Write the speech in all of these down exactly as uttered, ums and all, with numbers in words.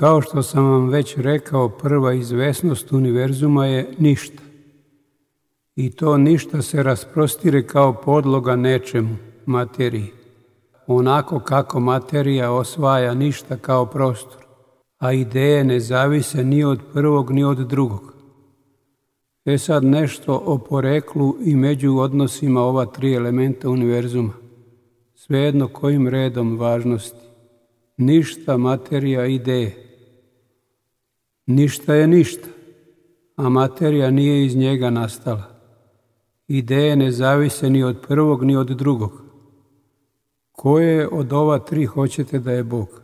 Kao što sam vam već rekao, prva izvesnost univerzuma je ništa. I to ništa se rasprostire kao podloga nečemu, materiji, onako kako materija osvaja ništa kao prostor, a ideje ne zavise ni od prvog ni od drugog. E sad nešto o poreklu i među odnosima ova tri elementa univerzuma, svejedno kojim redom važnosti. Ništa, materija, ideje. Ništa je ništa, a materija nije iz njega nastala. Ideje ne zavise ni od prvog ni od drugog. Koje od ova tri hoćete da je Bog?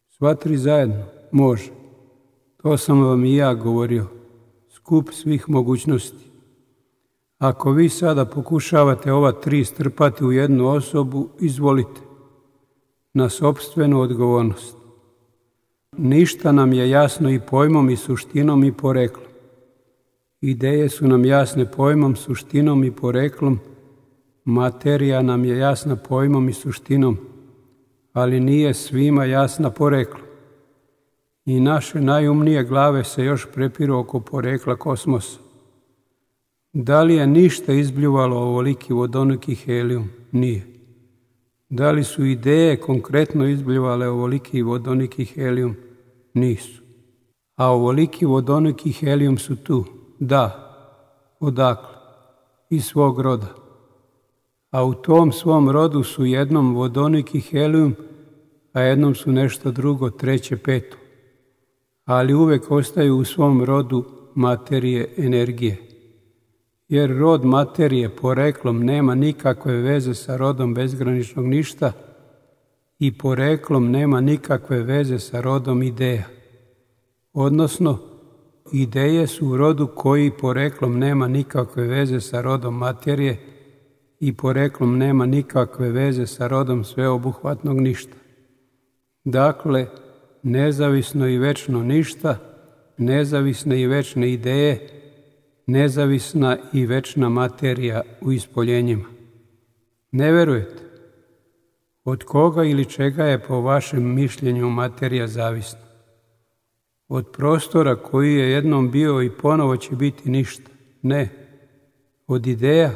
Sva tri zajedno? Može. To sam vam i ja govorio. Skup svih mogućnosti. Ako vi sada pokušavate ova tri strpati u jednu osobu, izvolite. Na sopstvenu odgovornost. Ništa nam je jasno i pojmom i suštinom i poreklom. Ideje su nam jasne pojmom, suštinom i poreklom. Materija nam je jasna pojmom i suštinom, ali nije svima jasna poreklom. I naše najumnije glave se još prepiru oko porekla kosmosa. Da li je ništa izbljuvalo ovoliki vodoniki helijum? Nije. Da li su ideje konkretno izbljuvale ovoliki vodoniki helijum? Nisu. A ovoliki vodoniki helijum su tu? Da. Odakle? Iz svog roda. A u tom svom rodu su jednom vodoniki helijum, a jednom su nešto drugo, treće, peto. Ali uvek ostaju u svom rodu materije, energije. Jer rod materije poreklom nema nikakve veze sa rodom bezgraničnog ništa i poreklom nema nikakve veze sa rodom ideja. Odnosno, ideje su u rodu koji poreklom nema nikakve veze sa rodom materije i poreklom nema nikakve veze sa rodom sveobuhvatnog ništa. Dakle, nezavisno i večno ništa, nezavisne i večne ideje, nezavisna i večna materija u ispoljenjima. Ne verujete? Od koga ili čega je po vašem mišljenju materija zavisna? Od prostora koji je jednom bio i ponovo će biti ništa? Ne. Od ideja?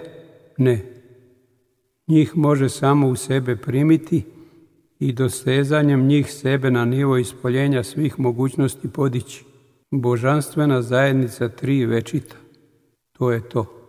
Ne. Njih može samo u sebe primiti i dosezanjem njih sebe na nivo ispoljenja svih mogućnosti podići. Božanstvena zajednica tri večita. To je to.